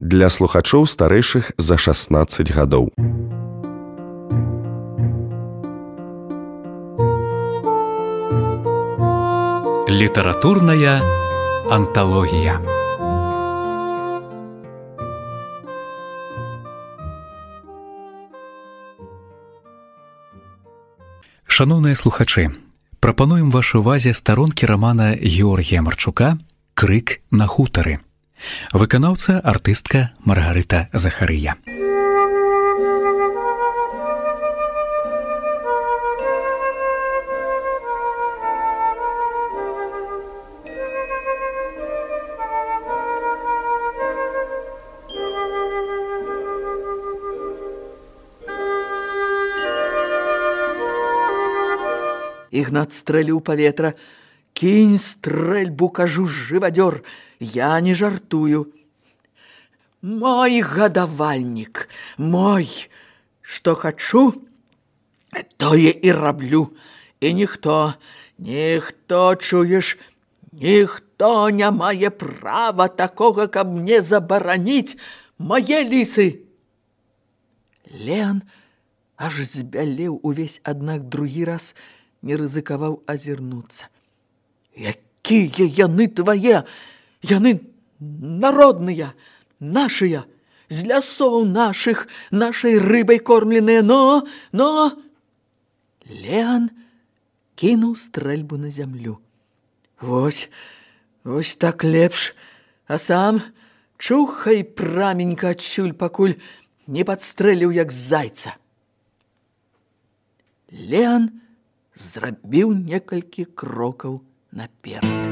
для слухачоў старэйшых за 16 гадоў. Літаратурная анталогія. Шаноўныя слухачы, прапануем вашай увазе старонкі рамана Георгія Марчука «Крык на хутары». Выканаўца артыстка Маргарыта Захарыя. Ігнат стрэліў паветра. «Кінь стрэльбу, кажу, жывадзёр, я не жартую. Мой гадавальнік, мой, што хачу, тое і раблю. І ніхто, чуеш, ніхто не мае права такога, каб мне забараніць мае лісы». Леан аж збялеў увесь, аднак другі раз не рызыкаваў азірнуцца. «Якія яны твае? Яны народныя, нашыя, з лясоў нашых, нашай рыбай кормленыя, но...» Леан кінуў стрэльбу на зямлю. «Вось так лепш, а сам чухай праменька адсюль, пакуль не падстрэліў, як зайца». Леан зрабіў некалькі крокаў наперад.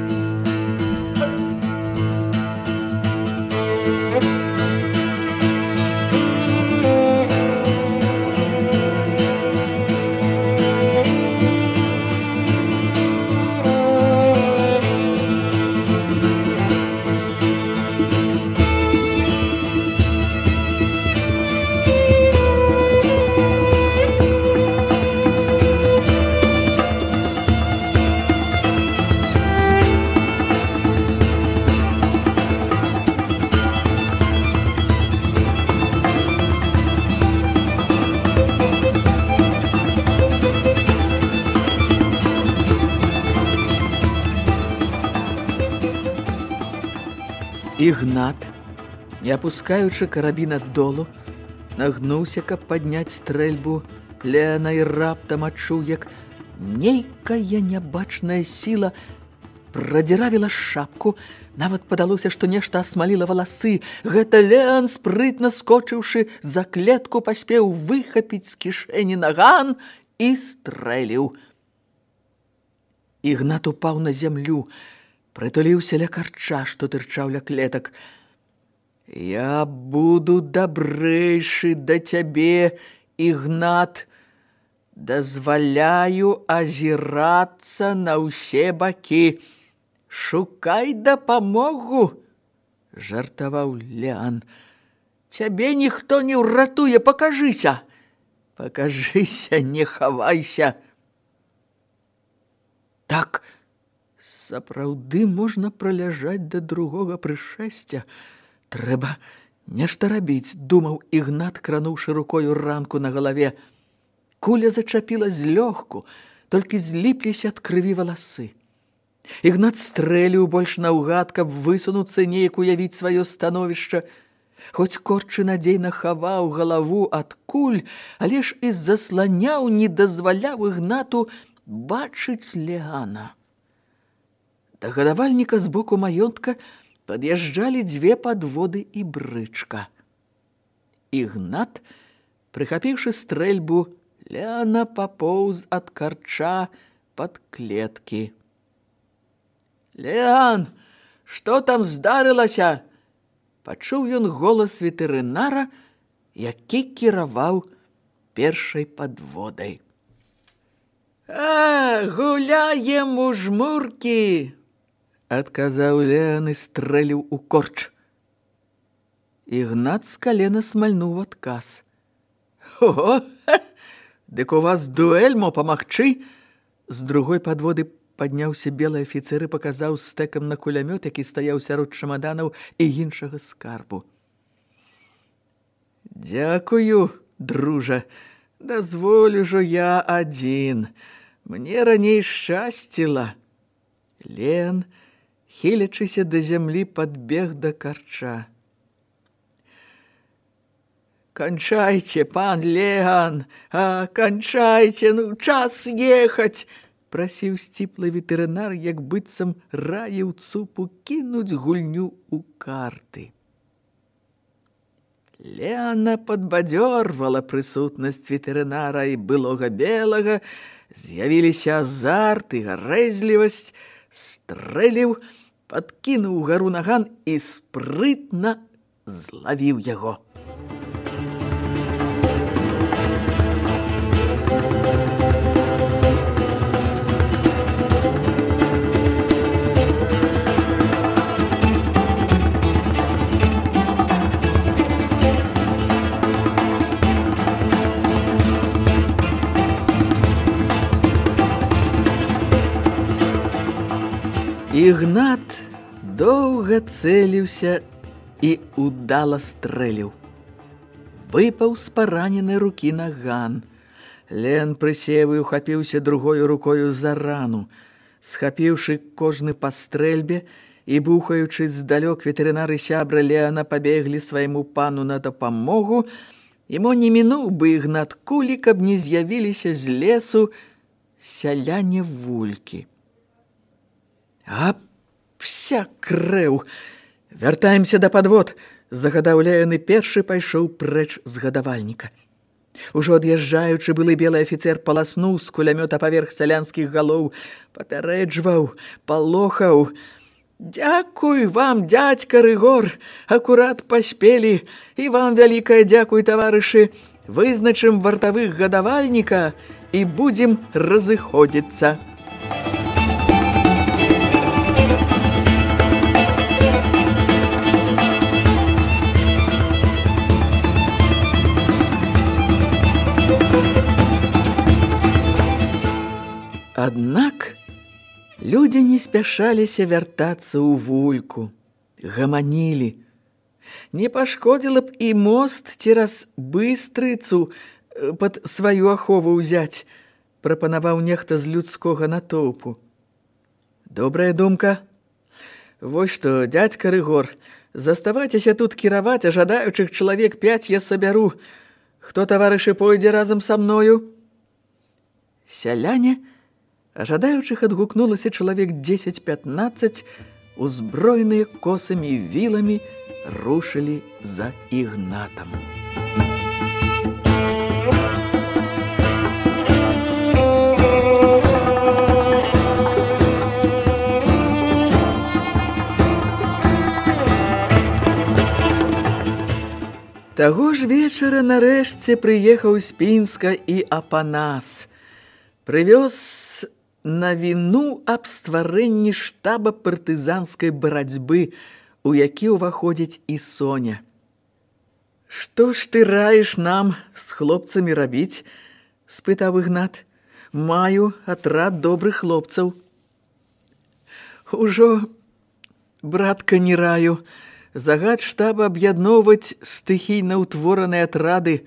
Ігнат, не апускаючы карабін ад долу, нагнуўся, каб падняць стрэльбу Леана, і раптам адчуў, як нейкая нябачная сіла прадзіравіла шапку. Нават падалося, што нешта асмаліла валасы. Гэта Леан, спрытна скочыўшы за клетку, паспеў выхапіць з кішэні наган і стрэліў. Ігнат упаў на зямлю, прытуліўся ля карча, што тырчаў ля клетак. «Я буду дабрэйшы да цябе, Ігнат. Дазваляю азірацца на ўсе бакі. Шукай дапамогу», – жартаваў Леан. «Цябе ніхто не ўратуе, пакажыся. Пакажыся, не хавайся». Так сапраўды можна праляжаць да другога прышэсця. Трэба нешта рабіць, думаў Ігнат, крануўшы рукою ранку на галаве. Куля зачапіла злёгку, толькі зліпліся ад крыві валасы. Ігнат стрэліў больш наўгад, каб высунуцца, неяк уявіць сваё становішча. Хоць корчы надзейна хаваў галаву ад куль, але ж і засланяў, не дазваляў Ігнату бачыць Леана. Да гадавальніка з боку маёнтка пад'язджалі дзве падводы і брычка. Ігнат, прыхапіўшы стрэльбу, Леана папоўз ад карча пад клеткі. «Леан, што там здарылася?» Пачуў ён голас ветэрынара, які кіраваў першай падводай. «Гуляем у жмуркі!» адказаў Леан і стрэліў у корч. Ігнат з калена смальнуў адказ. «О, дык у вас дуэль, мо памагчы?» З другой падводы падняўся белы афіцэр і паказаў стэкам на кулямёт, які стаяў сярод чамаданаў і іншага скарбу. Дзякую, дружа, дазволю жо я адзін. Мне раней шчасціла. Леан, хілячыся да зямлі, падбег да карча. «Кончайте, пан Леан, кончайте, ну, час ехаць!» прасіў сціплы ветэрынар, як быццам раіў цупу кінуць гульню ў карты. Леана падбадзёрвала прысутнасць ветэрынара і былога белага, з'явіліся азарт і гарэзлівасць, стрэліў, падкінуў гару наган і спрытна злавіў яго. Ігнат доўга цэліўся і удала стрэліў. Выпаў з параненай рукі наган. Лен прысеў і ухапіўся другою рукою за рану. Схапіўшы кожны па стрэльбе і бухаючы здалёк, ветэрынар і сябра Леана пабеглі свайму пану на дапамогу, і мо не мінуў бы Ігнат кулі, каб не з'явіліся з лесу сяляне вулькі. «Апся, крэў! Вяртаемся да падвод!» загадаў Леан і першы пайшоў прэч з гадавальніка. Ужо ад'язджаючы, былы белы афіцэр паласнуў з кулямёта паверх сялянскіх галоў, папярэджваў, палохаў. «Дзякуй вам, дядька Рыгор, акурат паспелі, і вам вялікае дзякуй, таварышы. Вызначым вартавых гадавальніка і будзем разыходзіцца». Аднак людзі не спяшаліся вяртацца ў вульку, гаманілі. Не пашкодзіла б і мост цераз Быстрыцу пад сваю ахову ўзяць, прапанаваў нехта з людскога натоўпу. Добрая думка. Вось што, дядька Рыгор, заставайцеся тут кіраваць, а жадаючых чалавек 5 я сабяру. Хто, таварышы, пойдзе разам са мною? Сяляне, а жадаючых адгукнулася чалавек 10-15, узброеныя косамі і віламі, рушылі за Ігнатам. Таго ж вечара нарэшце прыехаў з Пінска і Апанас. Прывёз навіну аб стварэнні штаба партызанскай барацьбы, у які ўваходзіць і Соня. «Што ж ты раіш нам з хлопцамі рабіць?» – спытаў Ігнат. «Маю атрад добрых хлопцаў». «Ужо, братка, не раю. Загад штаба аб'ядноўваць стыхійна ўтвораныя атрады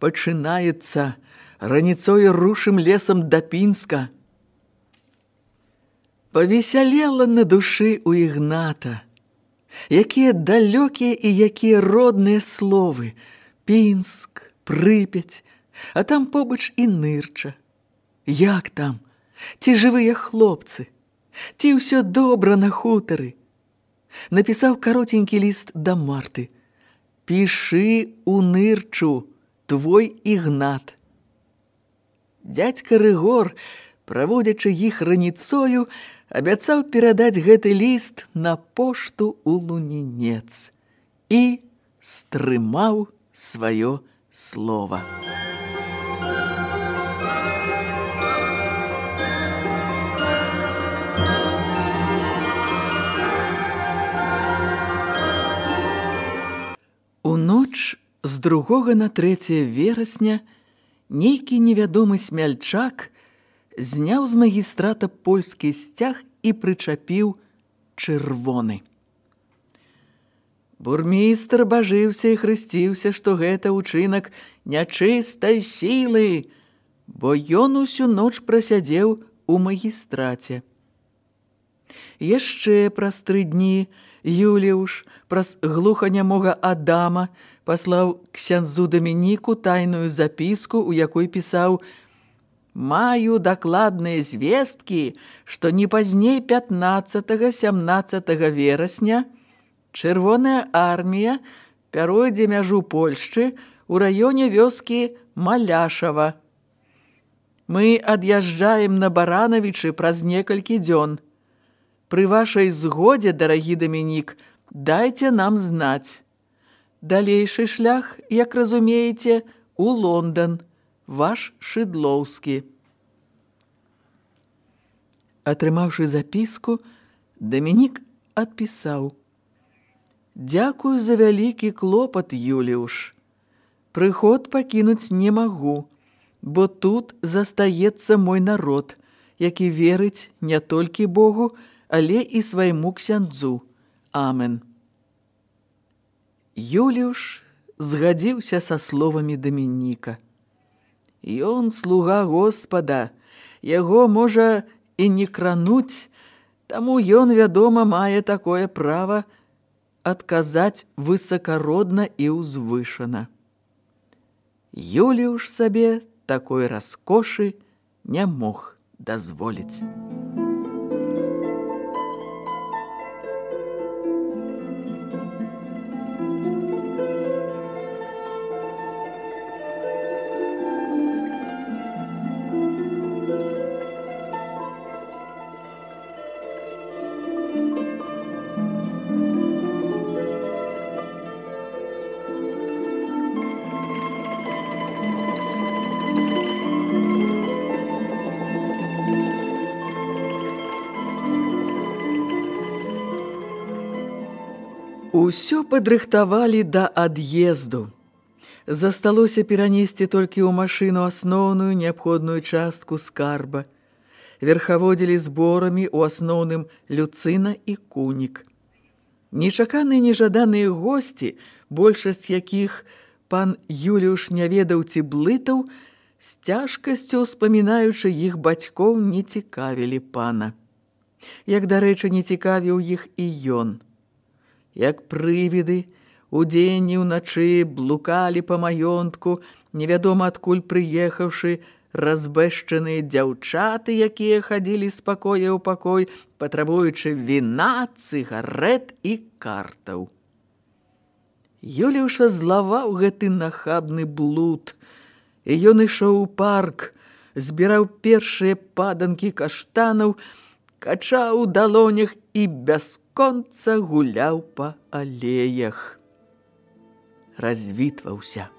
пачынаецца. Раніцою рушым лесам да Пінска». Павесялела на душы у Ігната. Якія далёкія і якія родныя словы. Пінск, Прыпяць, а там побач і Нырча. Як там? Ці жывыя хлопцы? Ці ўсё добра на хутары? Напісаў каротенькі ліст да Марты. «Пішы у Нырчу, твой Ігнат». Дядька Рыгор, праводзячы іх раніцою, абяцаў перадаць гэты ліст на пошту ў Лунінец і стрымаў сваё слова. У ноч з 2 на 3 верасня нейкі невядомы смяльчак зняў з магістрата польскі сцяг і прычапіў чырвоны. Бурмістр бажыўся і хрысціўся, што гэта ўчынак нячыстай сілы, бо ён усю ноч прасядзеў у магістраце. Яшчэ праз 3 дні Юліуш праз глуханямога Адама паслаў ксяндзу Дамініку тайную запіску, у якой пісаў: «Маю дакладныя звесткі, што не пазней 15-17 верасня Чырвоная армія пяройдзе мяжу Польшчы ў раёне вёскі Маляшава. Мы ад'язджаем на Баранавічы праз некалькі дзён. Пры вашай згодзе, дарагі Дамінік, дайце нам знаць. Далейшы шлях, як разумееце, у Лондан. Ваш Шыдлоўскі». Атрымаўшы запіску, Дамінік адпісаў: «Дзякую за вялікі клопат, Юліуш. Прыход пакінуць не магу, бо тут застаецца мой народ, які верыць не толькі Богу, але і свайму ксяндзу. Амен». Юліуш згадзіўся са словамі Дамініка. Ён слуга Господа, яго можа і не крануць, таму ён, вядома, мае такое права адказаць высакародна і ўзвышана. Юліуш сабе такой раскошы не мог дазволіць. Усё падрыхтавалі да ад'езду. Засталося перанесці толькі ў машыну асноўную неабходную частку скарба. Верхаводзілі зборамі ў асноўным Люцына і Кунік. Нечаканыя нежаданыя госці, большасць якіх пан Юліуш не ведаў ці блытаў, з цяжкасцю ўспамінаючы іх бацькоў, не цікавілі пана. Як, дарэчы, не цікавіў іх і ён. Як прывіды, удзень і ўначы блукалі па маёнтку, невядома адкуль прыехаўшы, разбэшчаныя дзяўчаты, якія хадзілі з пакоя ў пакой, патрабуючы віна, цыгарет і картаў. Юліуша злаваў гэты нахабны блуд, і ён ішоў у парк, збіраў першыя паданкі каштанаў, качаў у далонях і бясконца гуляў па алеях. Развітваўся.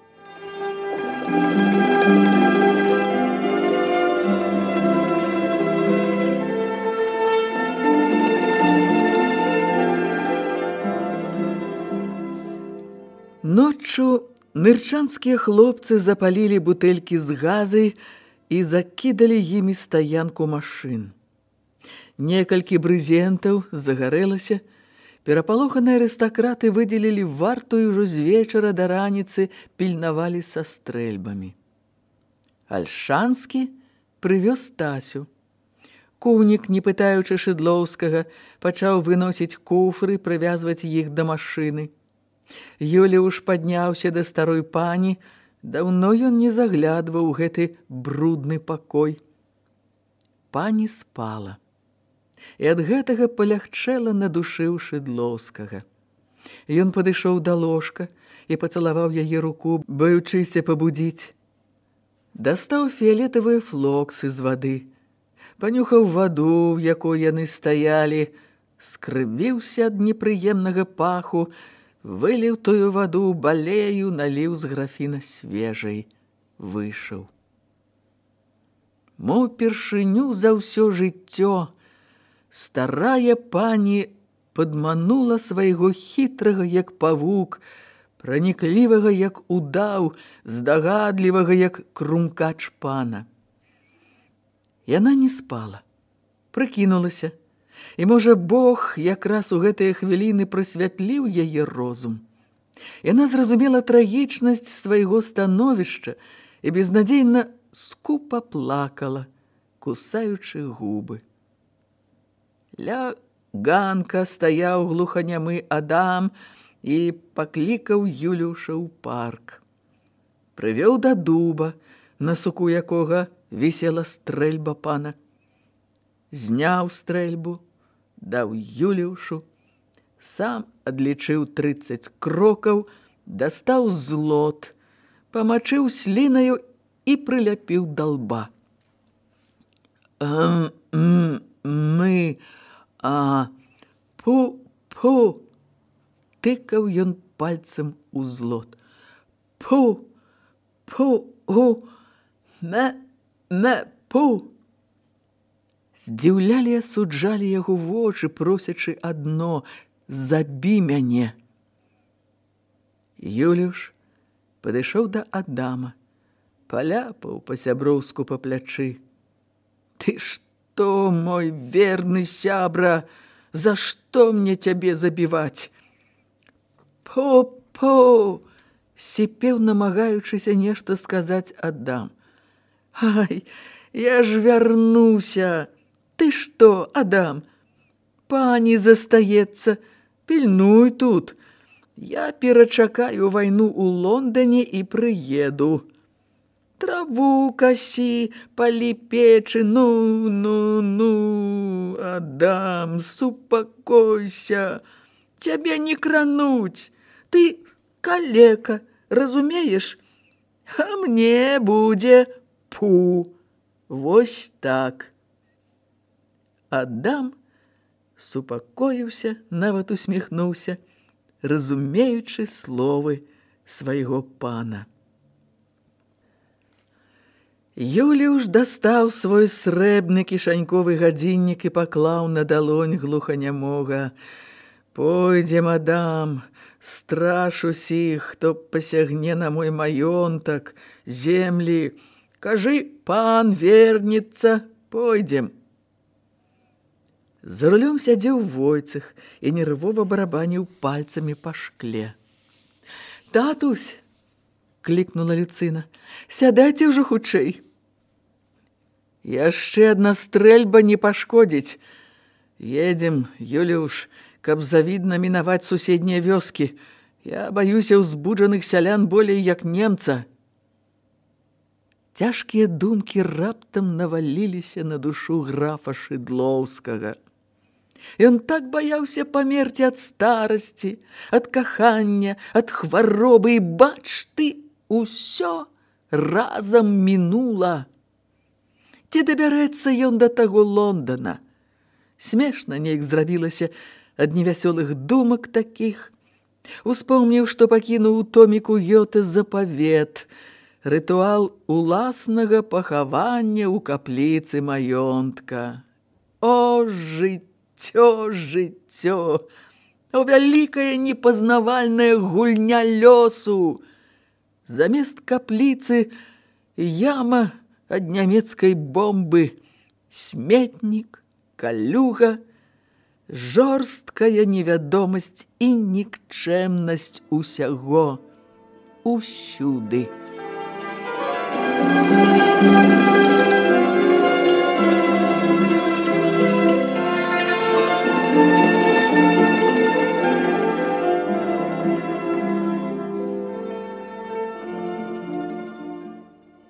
Ноччу нырчанскія хлопцы запалілі бутэлькі з газай і закідалі імі стаянку машын. Некалькі брызентаў загарэлася, перапалоханыя арыстакраты выдзелілі варту і ўжо з вечара да раніцы пільнавалі са стрэльбамі. Альшанскі прывёз Тасю. Кунік, не пытаючы Шыдлоўскага, пачаў выносіць куфры, прывязваць іх да машыны. Юліуш падняўся да старой пані, даўно ён не заглядваў у гэты брудны пакой. Пані спала. І ад гэтага палягчэла на душы ў Шыдлоўскага. Ён падышоў да ложка і пацалаваў яе руку, баючыся пабудзіць. Дастаў фіялетавыя флоксы з вады, панюхаў ваду, в якой яны стаялі, скрывіўся ад непрыемнага паху, выліў тую ваду ў балею, наліў з графіна свежай, выйшаў. Мо ўпершыню за ўсё жыццё старая пані падманула свайго хітрага, як павук, праніклівага, як удаў, здагадлівага, як крумкач пана. Яна не спала, прыкінулася, І, можа, Бог якраз у гэтыя хвіліны прасвятліў яе розум. Яна зразумела трагічнасць свайго становішча і безнадзейна скупа плакала, кусаючы губы. Ля ганка стаяў глуханямы Адам і паклікаў Юлюша ў парк. Прывёў да дуба, на суку якога вісела стрэльба пана. Зняў стрэльбу, даў Юлюшу, сам адлічыў 30 крокаў, дастаў злот, памачыў слінаю і прыляпіў да лба. Пу, тыкаў ён пальцем у злот. Пу, пу. Здзіўлялі і асуджалі яго вочы, просячы адно: забі мяне. Юлюш падышоў да Адама, паляпаў па-сяброўску па плячы. Ты што, мой верны сябра, за што мне цябе забіваць? Пу, сіпеў, намагаючыся нешта сказаць Адам. Ай, я ж вярнуся. Ты што, Адам? Пані застаецца, пільнуй тут. Я перачакаю вайну ў Лондане і прыеду. Траву касі, палі печы, ну, Адам, супакойся. Цябе не крануць. Ты калека, разумееш? А мне будзе пу. Вось так. Адам супакоіўся, нават усміхнуўся, разумеючы словы свайго пана. Юліуш дастаў свой срэбны кішаньковы гадзіннік і паклаў на далонь глуханямога. Пойдзем, Адам, страш усіх, хто пасягне на мой маёнтак, землі. Кажы, пан вернецца, пойдзем. За рулём сядзеў Войцэх і нервова барабаніў пальцамі па шкле. «Татусь!» – клікнула Люцына. «Сядайце ўжо хутчэй!» «Яшчэ адна стрэльба не пашкодзіць. Едзем, Юлюш, каб завідна мінаваць суседнія вёскі. Я баюся ўзбуджаных сялян болей як немца». Цяжкія думкі раптам наваліліся на душу графа Шыдлоўскага. Ён так баяўся памерці ад старасці, ад кахання, ад хваробы, і бач ты, усё разам мінула. Ці дабярэцца ён да таго Лондана? Смешна неяк зрабілася ад невясёлых думак такіх. Успомніў, што пакінуў у томіку Гёте запавет, рытуал уласнага пахавання ў капліцы маёнтка. О, жыццё, о, вялікая непазнавальная гульня лёсу! Замест капліцы яма ад нямецкай бомбы, сметнік, калюга, жорсткая невядомасць і нікчэмнасць усяго, усюды.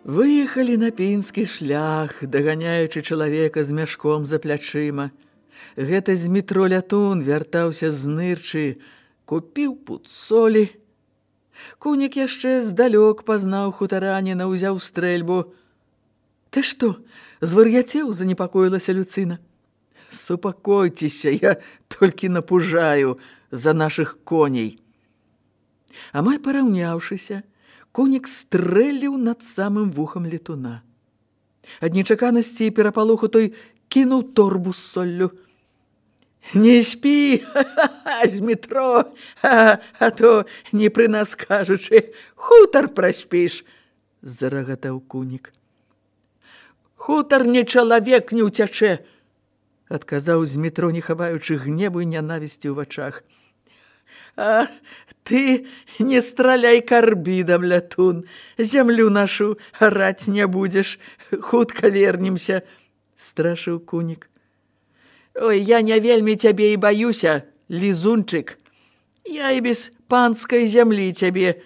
Выехалі на пінскі шлях, даганяючы чалавека з мяшком за плячыма. Гэта з метро Лятун вяртаўся з нырчы, купіў пуд солі. Кунік яшчэ здалёк пазнаў хутараніна, узяў стрэльбу. «Ты што, звар'яцеў?» – занепакоілася Люцына. «Супакойцеся, я толькі напужаю за нашых коней». Амаль параўняўшыся, Кунік стрэліў над самым вухам летуна. Ад нечаканасці і перапалоху той кінуў торбу з соллю. «Не спі, з метро, а то, не пры нас кажучы, хутар праспіш», – зарагатаў Кунік. «Хутар не чалавек не ўцячэ. адказаў Змітро, не хаваючы гневу і нянавісці ў вачах. А ты не страляй карбідам, лятун, зямлю нашу араць не будзеш, хутка вернемся, страшыў кунік. Ой, я не вельмі цябе і баюся, лізунчык. Я і без панскай зямлі цябе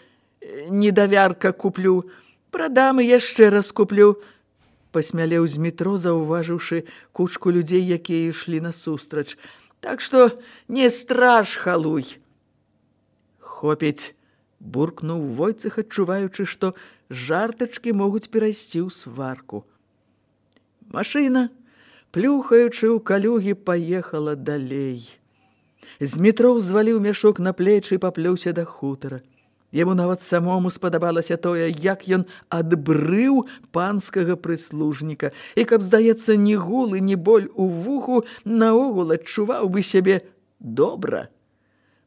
недавярка куплю, прадам і яшчэ раз куплю, пасмялеў Змітро, заўважыўшы кучку людзей, якія ішлі насустрач. Так што не страж, халуй. Хопіць, буркнуў Войцэх, адчуваючы, што жартачкі могуць перайсці ў сварку. Машына, плюхаючы ў калюгі, паехала далей. Змітро ўзваліў мяшок на плечы і паплёўся да хутара. Яму нават самому спадабалася тое, як ён адбрыў панскага прыслужніка, і каб, здаецца, ні гул і ні боль у вуху, наогул адчуваў бы сябе добра.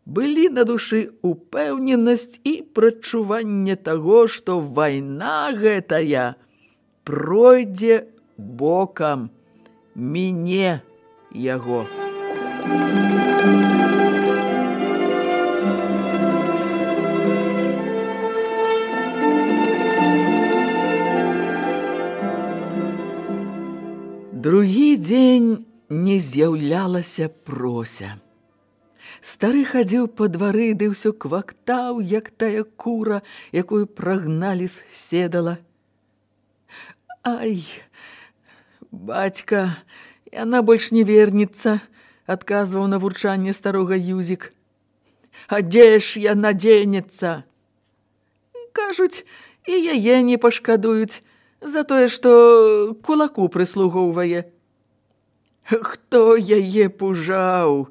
Былі на душы упэўненасць і прачуванне таго, што вайна гэтая пройдзе бокам, міне яго. Другі дзень не з'яўлялася Прося. Стары хадзіў па двары, ды ўсё квактаў, як тая кура, якую прагналі з седала. Ай, бацька, яна больш не вернецца, адказваў на вурчанне старога Юзік. А дзе ж яна дзенецца? Кажуць, і яе не пашкадуюць за тое, што кулаку прыслугоўвае. Хто яе пужаў?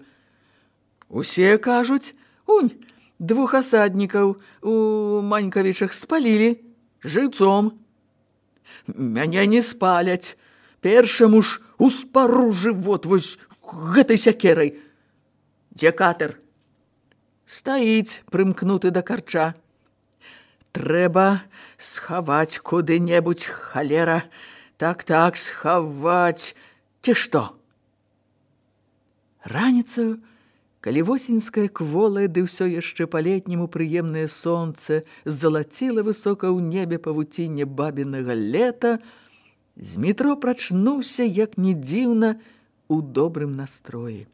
Усе кажуць, унь, 2 асаднікаў у Манькавічах спалілі жыўцом. Мяне не спаляць, першаму ж успару жывот вось гэтай сякерай. Дзе катер? Стаіць, прымкнуты да карча. Трэба схаваць куды-небудзь, халера. Так, схаваць. Ці што? Раніцаю, калі восеньскае кволае, ды ўсё яшчэ па-летняму прыемнае сонце залаціла высока ў небе павуцінне бабінага лета, Змітро прачнуўся, як не дзіўна, у добрым настроі.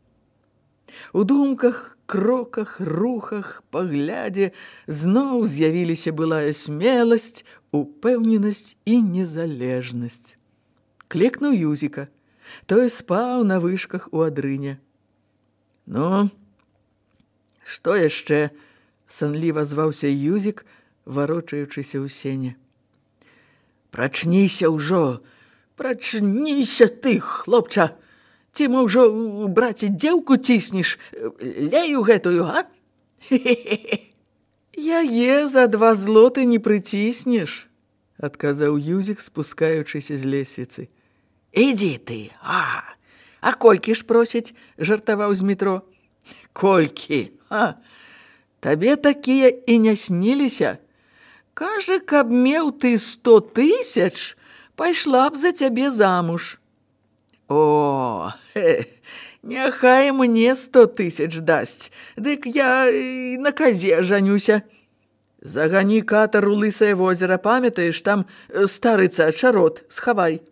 У думках, кроках, рухах, паглядзе зноў з'явіліся былая смеласць, упэўненасць і незалежнасць. Клекнуў Юзіка. Той спаў на вышках у адрыне. Ну, што яшчэ? Санліва зваўся Юзік, варочаючыся ў сене. Прачніся ўжо, прачніся ты, хлопча! Ці мо ўжо, браце, дзеўку ціснеш, лею гэтую, а? Яе за 2 злоты не прыціснеш, адказаў Юзік, спускаючыся з лесвіцы. Ідзі ты, а колькі ж просяць, жартаваў Змітро. Колькі, табе такія і не сніліся. Кажа, каб меў ты 100 000, пайшла б за цябе замуж. О, няхай мне 100 000 дасць, дык я на казе жанюся. Загані катар у Лысае возера, памятаеш, там старыца чарот, схавай.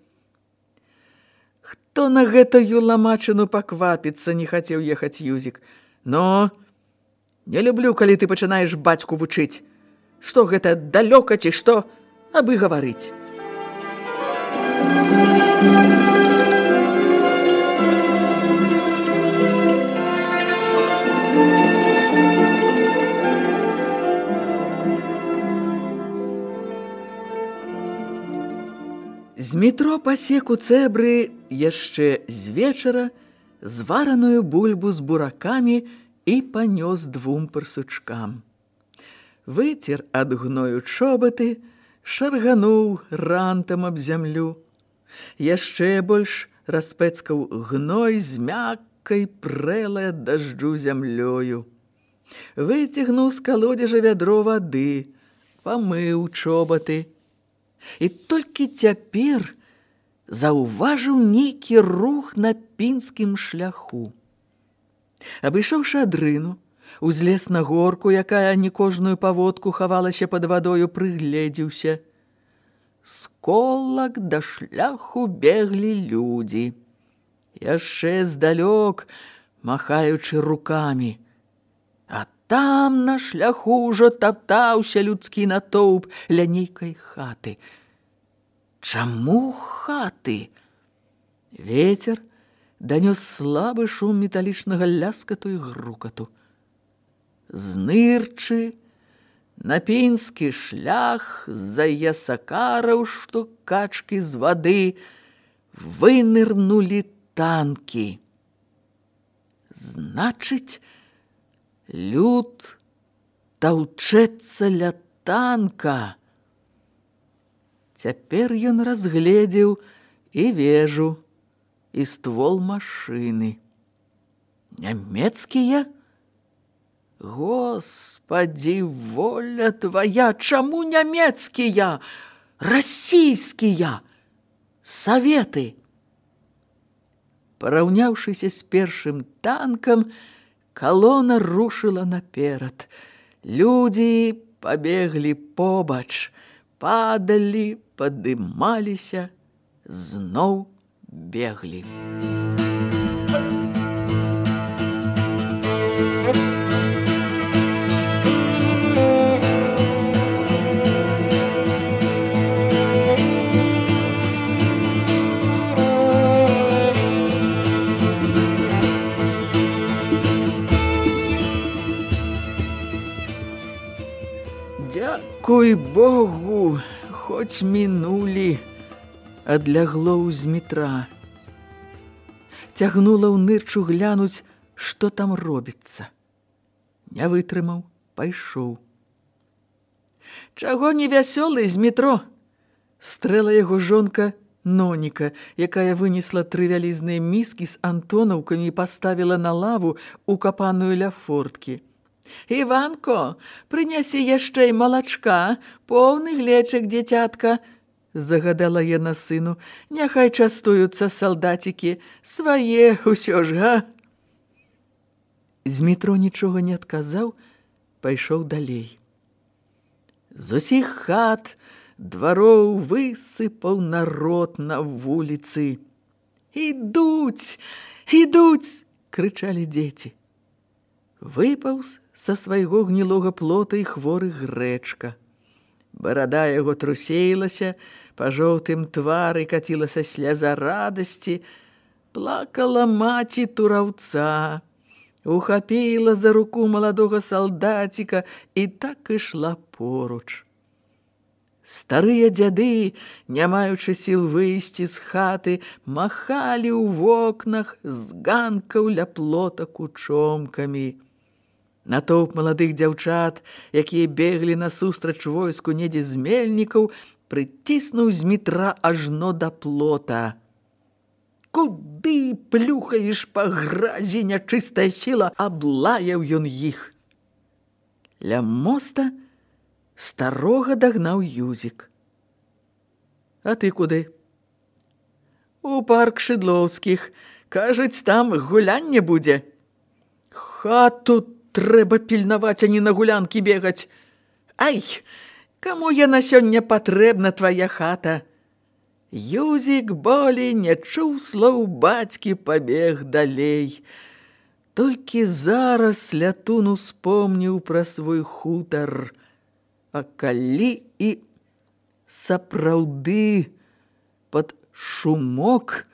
Хто на гэтую ламачыну паквапіцца, не хацеў ехаць Юзік. Но не люблю, калі ты пачынаеш бацьку вучыць. Што гэта, далёка ці што, абы гаварыць. Змітро пасек у цэбры яшчэ з вечара звараную бульбу з буракамі і панёс 2 парсучкам. Выцер ад гною чобаты, шаргануў рантам аб зямлю. Яшчэ больш распэцкаў гной з мяккай прэлай ад дажджу зямлёю. Выцягнуў з калодзежа вядро вады, памыў чобаты. І толькі цяпер заўважыў нейкі рух на пінскім шляху. Абышоўшы адрыну, узлез на горку, якая не кожную паводку хавалася пад вадою, прыгледзеўся. З колак да шляху беглі людзі. Яшчэ здалёк, махаючы рукамі. А там на шляху ўжо таптаўся людскі натоўп ля нейкай хаты. Чаму хаты? Вецер данёс слабы шум металічнага ляскату і грукату. Знырчы на пінскі шлях з-за ясакараў, што качкі з вады, вынырнулі танкі. Значыць, люд таўчэцца ля танка. Цяпер ён разгледзеў і вежу, і ствол машыны. Нямецкія? Господі, воля твая, чаму нямецкія? Расійскія? Саветы? Параўняўшыся з першым танкам, калона рушыла наперад. Людзі пабеглі побач, падалі, падымаліся, зноў беглі. Дзякуй Богу, хоць мінулі, адлягло з метра. Цягнула ў нырчу глянуць, што там робіцца. Не вытрымаў, пайшоў. Чаго не вясёлы з метро? Стрэла яго жонка Ноніка, якая вынесла 3 вялізныя міскі з антонаўкамі і паставіла на лаву, укапаную ля форткі. «Іванко, прынясі яшчэ і малачка, поўны глечык, дзіцятка», загадала яна сыну. «Няхай частуюцца салдацікі, свае ўсё ж, га?» З метро нічога не адказаў, пайшоў далей. З усіх хат, двароў высыпаў народ на вуліцы. «Ідуць, ідуць!» – крычалі дзеці. Выпаўз са свайго гнілога плота і хворы Грэчка. Барада яго трусеілася, па жоўтым твары кацілася сляза радасці, плакала маці тураўца, ухапіла за руку маладога салдаціка і так ішла поруч. Старыя дзяды, не маючы сіл выйсці з хаты, махалі ў вокнах з ганкаў ля плота кучомкамі. Натоўп маладых дзяўчат, якія беглі насустрач войску недзе з мельнікаў, прыціснуў з метра ажно да плота. «Куды плюхаеш па гразі, нячыстая сіла?» – аблаяў ён іх. Ля моста старога дагнаў Юзік. «А ты куды?» «У парк Шыдлоўскіх. Кажуць, там гулянне будзе». «Хату трэба пільнаваць, а не на гулянкі бегаць. Ай, каму яна сёння патрэбна, твая хата?» Юзік болей не чуў слоў бацькі, пабег далей. Толькі зараз Лятун успомніў пра свой хутар. А калі і сапраўды пад шумок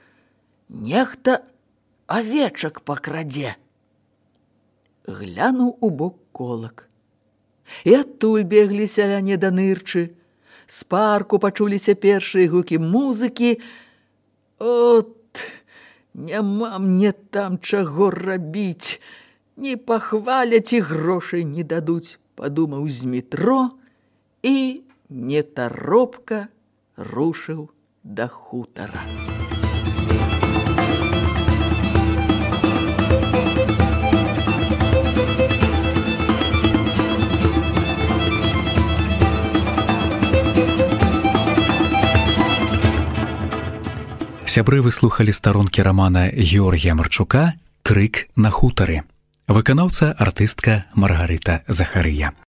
нехта авечак пакрадзе. Глянуў у бок колак. І адтуль беглі сяляне да нырчы. З парку пачуліся першыя гукі музыкі. От, няма мне там чаго рабіць. Не пахваляць і грошай не дадуць, падумаў з метро і нетаропка рушыў да хутара. Сябры выслухалі старонкі рамана Георгія Марчука «Крык на хутары». Выканаўца артыстка Маргарыта Захарыя.